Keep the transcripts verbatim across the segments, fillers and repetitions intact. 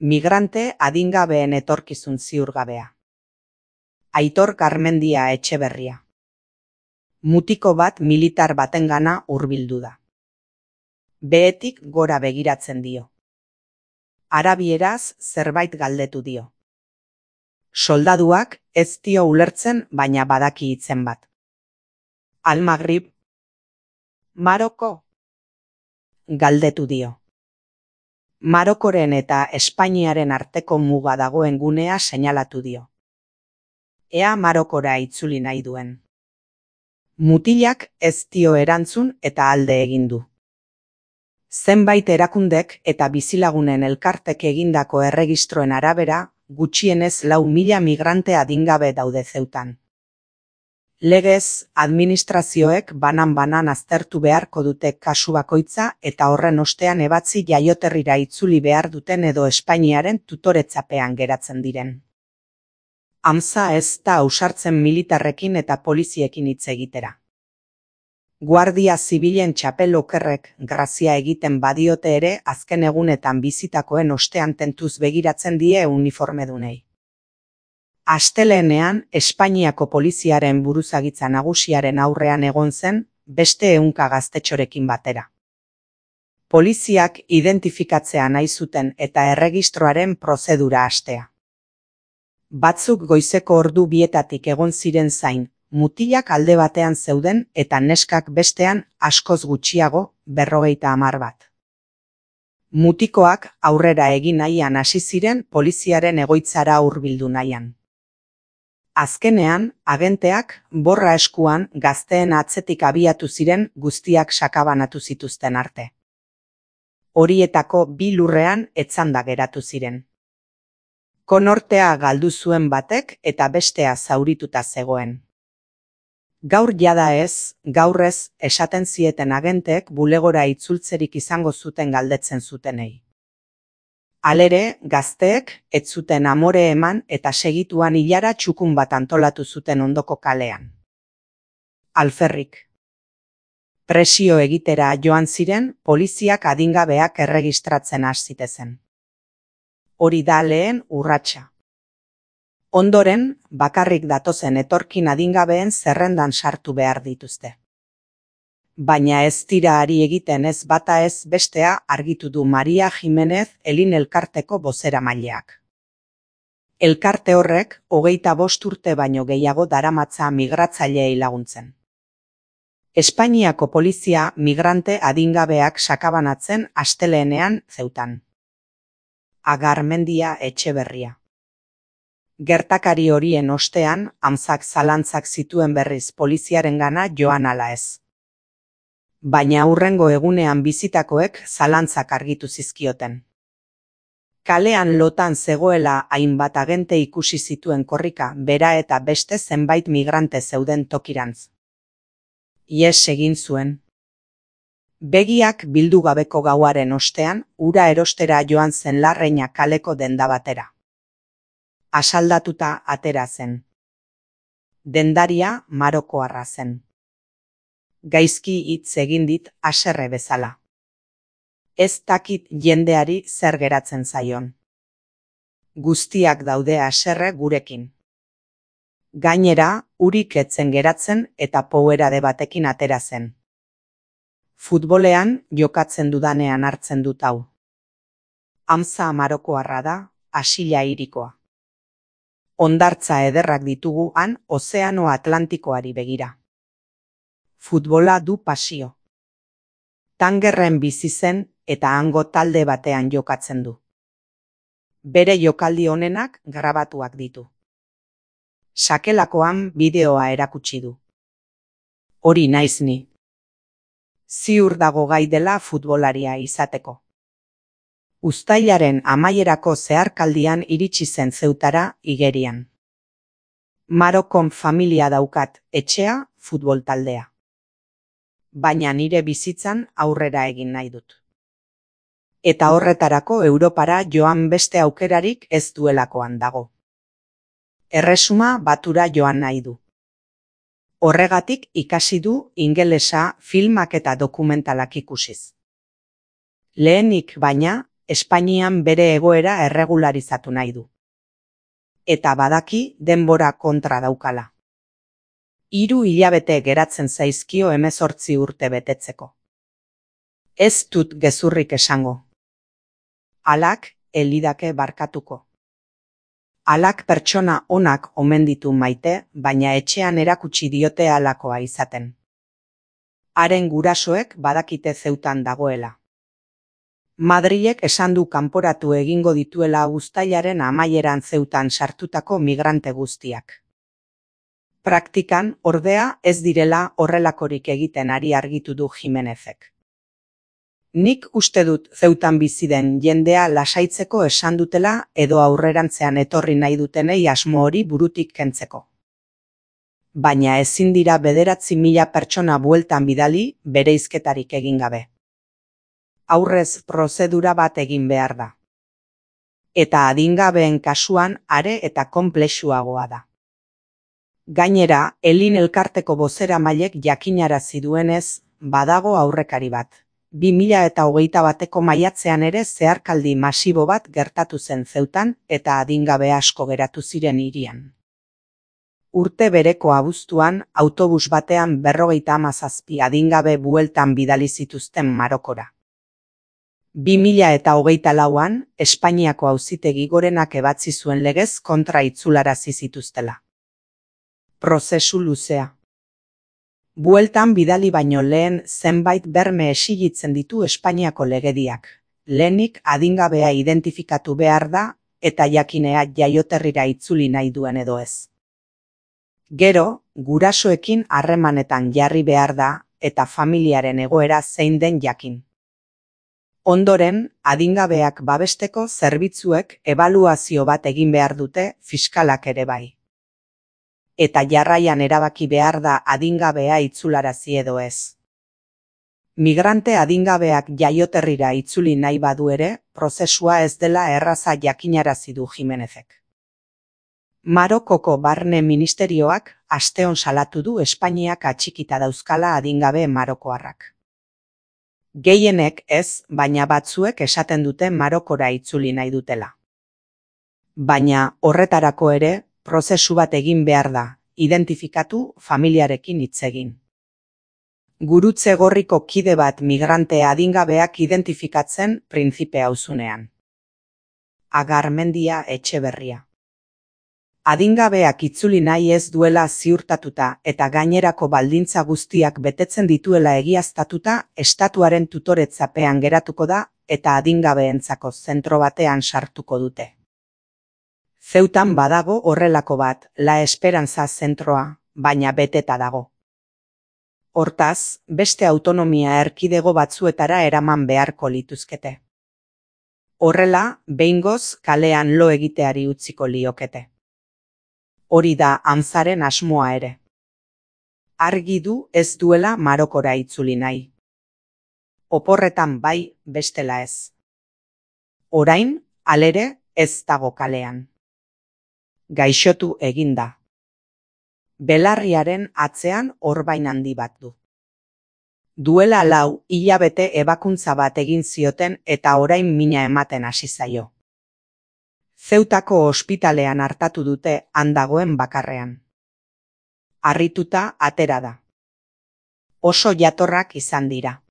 Migrante adingabeen etorkizun ziurgabea. Aitor Garmendia Etxeberria. Mutiko bat militar batengana hurbildu da. Behetik gora begiratzen dio. Arabieraz zerbait galdetu dio. Soldaduak ez dio ulertzen, baina badaki hitzen bat. Al-Maghrib. Maroko? Galdetu dio. Marokoren eta Espainiaren arteko muga dagoen gunea seinalatu dio. Ea Marokora itzuli nahi duen. Mutilak ez dio erantzun eta alde egin du. Zenbait erakundek eta bizilagunen elkartek egindako erregistroen arabera, gutxienez lau mila migrante adingabe daude Zeutan. Legez, administrazioek banan-banan aztertu beharko dute kasu bakoitza eta horren ostean ebatzi jaioterrira itzuli behar duten edo Espainiaren tutoretzapean geratzen diren. Amza ez da ausartzen militarrekin eta poliziekin hitz egitera. Guardia zibilen txapel okerrek grazia egiten badiote ere azken egunetan bizitakoen ostean tentuz begiratzen die uniformedunei. Astelehenean, Espainiako poliziaren buruzagitza nagusiaren aurrean egon zen, beste ehunka gaztetxorekin batera. Poliziak identifikatzea nahi zuten eta erregistroaren prozedura hastea. Batzuk goizeko ordu bietatik egon ziren zain, mutilak alde batean zeuden eta neskak bestean askoz gutxiago, berrogeita hamar bat. Mutikoak aurrera egin nahian hasi ziren poliziaren egoitzara hurbildu nahian. Azkenean, agenteak borra eskuan gazteen atzetik abiatu ziren guztiak sakabanatu zituzten arte. Horietako bi lurrean etzanda geratu ziren. Konortea galdu zuen batek eta bestea zaurituta zegoen. Gaur jada ez, gaur ez, esaten zieten agenteek bulegora itzultzerik izango zuten galdetzen zutenei. Halere, gazteek ez zuten amore eman eta segituan ilara txukun bat antolatu zuten ondoko kalean. Alferrik. Presio egitera joan ziren, poliziak adingabeak erregistratzen has zitezen. Hori da lehen urratsa. Ondoren, bakarrik datozen etorkin adingabeen zerrendan sartu behar dituzte. Baina ez dira ari egiten ez bata ez bestea argitu du Maria Jimenez Elin elkarteko bozeramaileak. Elkarte horrek hogeita bost urte baino gehiago daramatza migratzaileei laguntzen. Espainiako polizia migrante adingabeak sakabanatzen asteleenean Zeutan. Garmendia Etxeberria. Gertakari horien ostean, amzak zalantzak zituen berriz poliziarengana joan ala ez. Baina hurrengo egunean bizitakoek zalantzak argitu zizkioten. Kalean lotan zegoela hainbat agente ikusi zituen korrika, bera eta beste zenbait migrante zeuden tokirantz. Ihes egin zuen. Begiak bildu gabeko gauaren ostean, ura erostera joan zen Larreina kaleko denda batera. Asaldatuta atera zen. Dendaria marokoarra zen. Gaizki hitz egin dit haserre bezala. Ez dakit jendeari zer geratzen zaion. Guztiak daude haserre gurekin. Gainera, urik etzen geratzen eta powerade batekin atera zen. Futbolean jokatzen dudanean hartzen dut hau. Amza marokoarra da, Asila hirikoa. Hondartza ederrak ditugu han Ozeano Atlantikoari begira. Futbola du pasio. Tangerren bizi zen eta hango talde batean jokatzen du. Bere jokaldi honenak grabatuak ditu. Sakelakoan bideoa erakutsi du. Hori naiz ni. Ziur dago gai dela futbolaria izateko. Uztailaren amaierako zeharkaldian iritsi zen Zeutara igerian. Marokon familia daukat, etxea, futbol taldea. Baina nire bizitzan aurrera egin nahi dut. Eta horretarako Europara joan beste aukerarik ez duelakoan dago. Erresuma batura joan nahi du. Horregatik ikasi du ingelesa filmak eta dokumentalak ikusiz. Lehenik baina, Espainian bere egoera erregularizatu nahi du. Eta badaki denbora kontra daukala. Hiru hilabete geratzen zaizkio hemezortzi urte betetzeko. Ez dut gezurrik esango. Alak elidake barkatuko. Alak pertsona onak omen ditu maite, baina etxean erakutsi diote halakoa izaten. Haren gurasoek badakite Zeutan dagoela. Madrilek esan du kanporatu egingo dituela uztailaren amaieran Zeutan sartutako migrante guztiak. Praktikan, ordea, ez direla horrelakorik egiten ari argitu du Jimenezek. Nik uste dut Zeutan bizi den jendea lasaitzeko esan dutela edo aurrerantzean etorri nahi dutenei asmo hori burutik kentzeko. Baina ezin dira bederatzi mila pertsona bueltan bidali bereizketarik egin gabe. Aurrez prozedura bat egin behar da. Eta adingabeen kasuan are eta konplexuagoa da. Gainera, Elin elkarteko bozeramailek jakinarazi duenez, badago aurrekari bat. bi mila eta hogeita bateko maiatzean ere zeharkaldi masibo bat gertatu zen Zeutan eta adingabe asko geratu ziren hirian. Urte bereko abuztuan, autobus batean berrogeita hamazazpi adingabe bueltan bidali zituzten Marokora. bi mila eta hogeita lauan, Espainiako auzitegi gorenak ebatzi zuen legez kontra itzularazi zituztela. Prozesu luzea. Bueltan bidali baino lehen zenbait berme exigitzen ditu Espainiako legediak. Lehenik adingabea identifikatu behar da eta jakinea jaioterrira itzuli nahi duen edo ez. Gero, gurasoekin harremanetan jarri behar da eta familiaren egoera zein den jakin. Ondoren, adingabeak babesteko zerbitzuek ebaluazio bat egin behar dute fiskalak ere bai. Eta jarraian erabaki behar da adingabea itzularazi edo ez. Migrante adingabeak jaioterrira itzuli nahi badu ere, prozesua ez dela erraza jakinarazi du Jimenezek. Marokoko barne ministerioak asteon salatu du Espainiak atxikita dauzkala adingabe marokoarrak. Gehienek ez, baina batzuek esaten dute Marokora itzuli nahi dutela. Baina horretarako ere, prozesu bat egin behar da, identifikatu familiarekin hitz egin. Gurutze gorriko kide bat migrante adingabeak identifikatzen printzipe auzunean. Agarmendia Etxeberria. Adingabeak itzuli nahi ez duela ziurtatuta eta gainerako baldintza guztiak betetzen dituela egiaztatuta estatuaren tutoretzapean geratuko da eta adingabeentzako zentro batean sartuko dute. Zeutan badago horrelako bat, La Esperanza zentroa, baina beteta dago. Hortaz, beste autonomia erkidego batzuetara eraman beharko lituzkete. Horrela, behingoz kalean lo egiteari utziko liokete. Hori da Anzaren asmoa ere. Argi du ez duela Marokora itzuli nahi. Oporretan bai, bestela ez. Orain, halere, ez dago kalean. Gaixotu eginda. Belarriaren atzean orbain handi bat du. Duela lau hilabete ebakuntza bat egin zioten eta orain mina ematen hasi zaio. Zeutako ospitalean hartatu dute han dagoen bakarrean. Harrituta atera da. Oso jatorrak izan dira.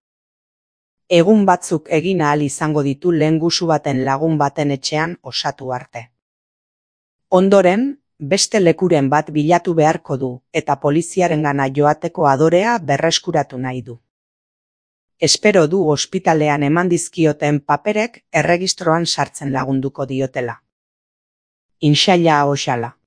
Egun batzuk egin ahal izango ditu lehengusu baten lagun baten etxean osatu arte. Ondoren, beste lekuren bat bilatu beharko du eta poliziarengana joateko adorea berreskuratu nahi du. Espero du ospitalean eman dizkioten paperek erregistroan sartzen lagunduko diotela. Inshallah oxala.